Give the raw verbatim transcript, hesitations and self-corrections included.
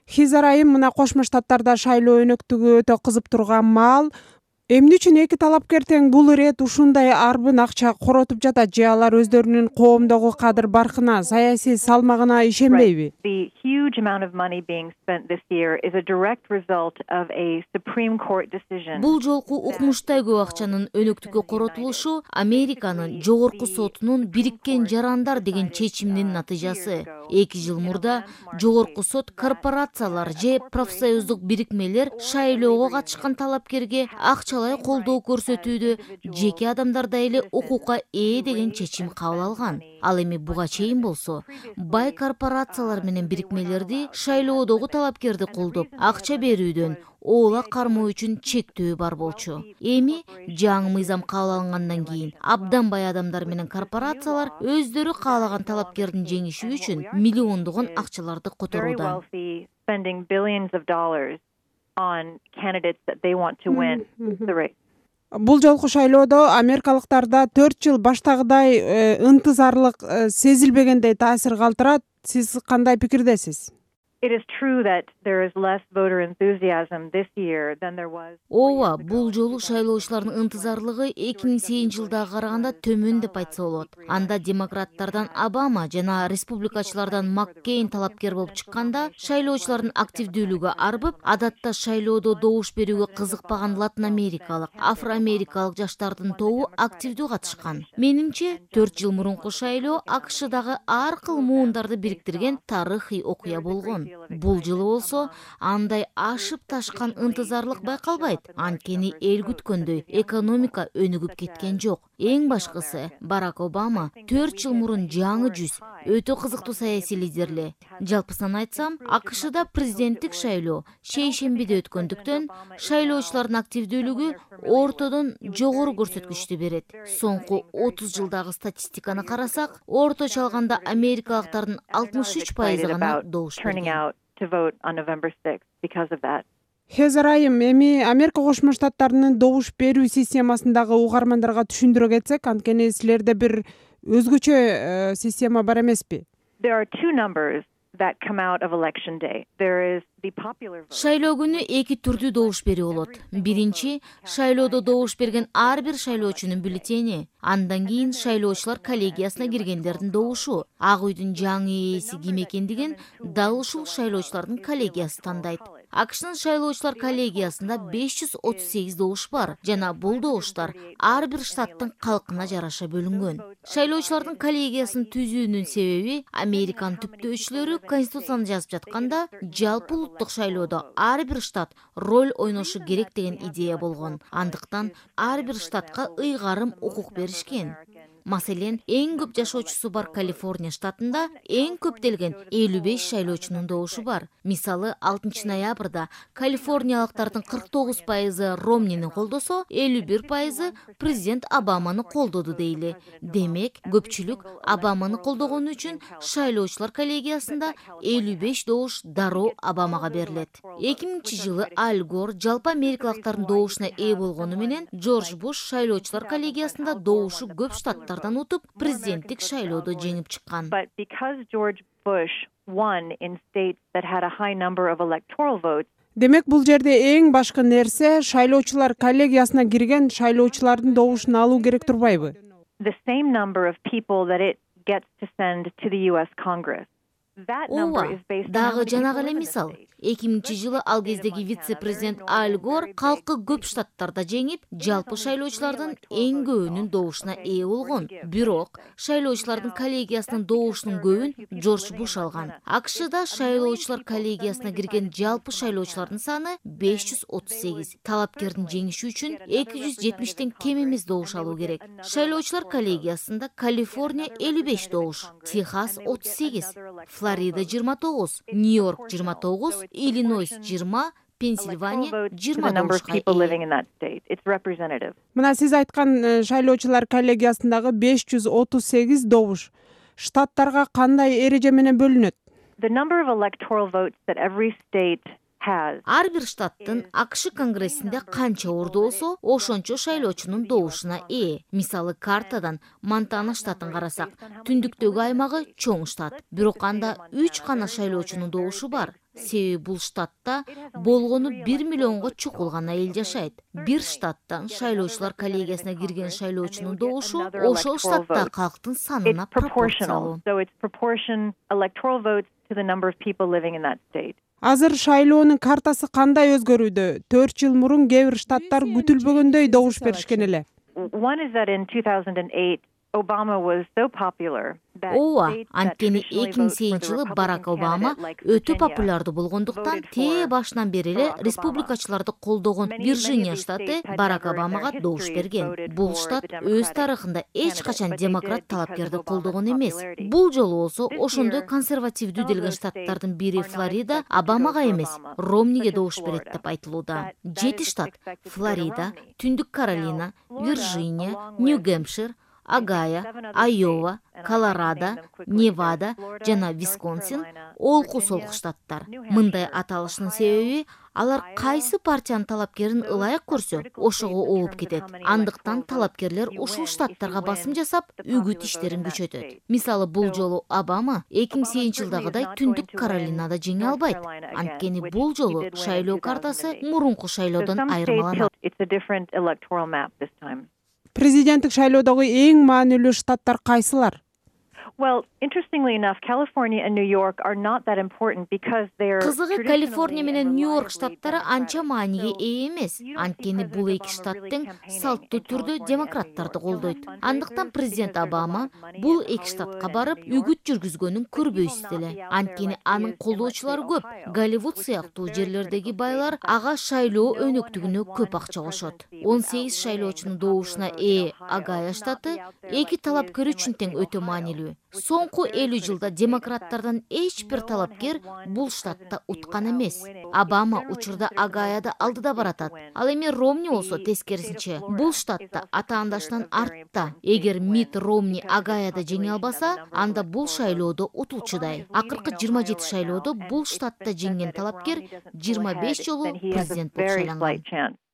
Хизер айым мына Кошмо Штаттарда шайлоо өнөктүгү өтө кызып турган маал. Эмне үчүн эки талапкер тең бул ирет ушундай арбын акча коротуп жатат, же алар өздөрүнүн коомдогу кадыр баркына, саясий салмагына ишенбейби? The huge amount of money being spent this year is a direct result of a Supreme Court decision. Бул жолку укмуштай көп акчанын өнөктүккө коротулушу Американын жогорку сотунун Бириккен Жарандар деген чечиминин натыйжасы. эки жыл мурда жогорку сот корпорациялар же профсоюздук бирикмелер шайлоого катышкан талапкерге акчалай колдоо көрсөтүүдө жеке адамдарда эле укукка ээ деген чечим кабыл алган. Ал эми буга чейин болсо бай корпорациялар менен бирикмелерди шайлоодогу талапкерди колдоп акча берүүдөн оола кармоо үчүн чектөө бар болчу. Эми жаңы мыйзам кабыл алынгандан кийин абдан бай адамдар менен корпорациялар өздөрү каалаган талапкердин жеңиши үчүн миллиондогон акчаларды которууда. Бул жолку шайлоодо америкалыктарда төрт жыл баштагыдай ынтызарлык сезилбегендей таасир калтырат. Сиз кандай пикирдесиз? It is true that there is less voter enthusiasm this year than there was. Ооба, бул жолу шайлоочулардын ынтызарлыгы эки миң сегизинчи жылдагы караганда төмөн деп айтса болот. Анда демократтардан Обама жана республикачылардан Маккейн талапкер болуп чыкканда, шайлоочулардын активдүүлүгү арбып, адатта шайлоодо добуш берүүгө кызыкпаган латын америкалык, афроамерикалык жаштардын тобу активдүү катышкан. Менимче, төрт жыл мурунку шайлоо АКШдагы ар кыл муундарды бириктирген тарыхый окуя болгон. Бул жылы болсо андай ашып ташкан ынтызарлык байкалбайт. Анткени эл күткөндөй экономика өнүгүп кеткен жок. Эң башкысы, Барак Обама төрт жыл мурун жаңы жүз өтө кызыктуу саясий лидерле. Жалпысынан айтсам, АКШда президенттик шайлоо шейшембиде өткөндүктөн шайлоочулардын активдүүлүгү ортодон жогору көрсөткүчтү берет. Соңку отуз жылдагы статистиканы карасак, орточо алганда америкалыктардын алтымыш үч пайызы гана добуш берген. Хезер айым, эми Америка Кошмо Штаттарынын добуш берүү системасындагы угармандарга түшүндүрө кетсек, анткени силерде бир өзгөчө система бар эмеспи? There are two numbers that come out of election day. There is the popular vote. Шайлоо күнү эки түрдүү добуш берүү болот. Биринчи, шайлоодо добуш берген ар бир шайлоочунун бюллетени. Андан кийин шайлоочулар коллегиясына киргендердин добушу. Ак үйдүн жаңы ээси ким экендигин дал ушул шайлоочулардын коллегиясы тандайт. АКШнын шайлоочулар коллегиясында беш жүз отуз сегиз добуш бар жана бул добуштар ар бир штаттын калкына жараша бөлүнгөн. Шайлоочулардын коллегиясын түзүүнүн себеби Американын түптөөчүлөрү конституцияны жазып жатканда жалпы улуттук шайлоодо ар бир штат роль ойношу керек деген идея болгон. Андыктан ар бир штатка ыйгарым укук беришкен. Маселен, эң көп жашоочусу бар Калифорния штатында эң көптөлгөн элүү беш шайлоочунун добушу бар. Мисалы, алтынчы ноябрда калифорниялыктардын кырк тогуз пайызы Ромнини колдосо, элүү бир пайызы президент Обаманы колдоду дейли. Демек, көпчүлүк Обаманы колдогону үчүн шайлоочулар коллегиясында элүү беш добуш дароо Обамага берилет. эки миңинчи жылы Аль Гор жалпы америкалыктардын добушуна ээ болгону менен Джордж Буш шайлоочулар коллегиясында добушу көп штаттар утуп президенттик шайлоодо жеңип чыккан. But because George Bush won in states that had a high number of electoral votes. Демек, бул жерде эң башкы нерсе шайлоочулар коллегиясына кирген шайлоочулардын добушун алуу керек турбайбы? The same number of people that it gets to send to the U S Congress. Ооба, дагы жанагы эле мисал. эки миңинчи жылы ал кездеги вице-президент Аль Гор калкы көп штаттарда жеңип, жалпы шайлоочулардын эң көбүнүн добушуна ээ болгон. Бирок, шайлоочулардын коллегиясынын добушунун көбүн Джордж Буш алган. АКШда шайлоочулар коллегиясына кирген жалпы шайлоочулардын саны беш жүз отуз сегиз. Талапкердин жеңиши үчүн эки жүз жетимиштен кем эмес добуш алуу керек. Шайлоочулар коллегиясында Калифорния элүү беш добуш, Техас отуз сегиз, Флорида жыйырма тогуз, Нью-Йорк жыйырма тогуз, Иллинойс жыйырма, Пенсильвания жыйырма добушка ээ. Мына сиз айткан шайлоочулар коллегиясындагы беш жүз отуз сегиз добуш штаттарга кандай эреже менен бөлүнөт? The number of electoral votes that every state Ар бир штаттын АКШ конгрессинде канча орду болсо, ошончо шайлоочунун добушуна ээ. Мисалы, картадан Монтана штатын карасак, түндүктөгү аймагы чоң штат, бирок анда үч гана шайлоочунун добушу бар. себеби бул штатта болгону бир миллионго чукул гана эл жашайт. Бир штаттан шайлоочулар коллегиясына кирген шайлоочунун добушу ошол штаттагы калктын санына пропорциялуу. Азыр шайлоонун картасы кандай өзгөрүүдө? төрт жыл мурун кээ бир штаттар күтүлбөгөндөй добуш беришкен эле. Ооба, анткени эки миң сегизинчи жылы Барак Обама өтө популярдуу болгондуктан тээ башынан бери эле республикачыларды колдогон Вирджиния штаты Барак Обамага добуш берген. Бул штат өз тарыхында эч качан демократ талапкерди колдогон эмес. Бул жолу болсо ошондой консервативдүү делген штаттардын бири Флорида Обамага эмес, Ромниге добуш берет деп айтылууда. Жети штат — Флорида, Түндүк Каролина, Вирджиния, Нью-Гэмпшир, Огайо, Айова, Колорадо, Невада жана Висконсин олку солку штаттар. Мындай аталыштын себеби алар кайсы партиянын талапкерин ылайык көрсө, ошого ооп кетет. Андыктан талапкерлер ушул штаттарга басым жасап, үгүт иштерин күчөтөт. Мисалы, бул жолу Обама эки миң сегизинчи жылдагыдай Түндүк Каролинада жеңе албайт. Анткени бул жолу шайлоо картасы мурунку шайлоодон айырмаланат. Президенттик шайлоодогу эң маанилүү штаттар кайсылар? Well, interestingly enough, California and New York are not that important because they're Кызыгы, Калифорния менен Нью-Йорк штаттары анча мааниге ээ эмес. Анткени бул эки штаттын салттуу түрдө демократтарды колдойт. Андыктан президент Обама бул эки штатка барып үгүт жүргүзгөнүн көрбөйсүз эле. Анткени анын колдоочулары көп. Голливуд сыяктуу жерлердеги байлар ага шайлоо өнөктүгүнө көп акча кошот. он сегиз шайлоочунун добушуна ээ Огайо штаты эки талапкер үчүн тең өтө маанилүү. Соңку элүү жылда демократтардан эч бир талапкер бул штатта уткан эмес. Обама учурда Огайода алдыда баратат. Ал эми Ромни болсо тескерисинче бул штатта атаандаштан артта. Эгер Мит Ромни Огайода жеңе албаса, анда бул шайлоодо утуучудай. Акыркы жыйырма жети шайлоодо бул штатта жеңген талапкер жыйырма беш жолу президент болуп шайланган.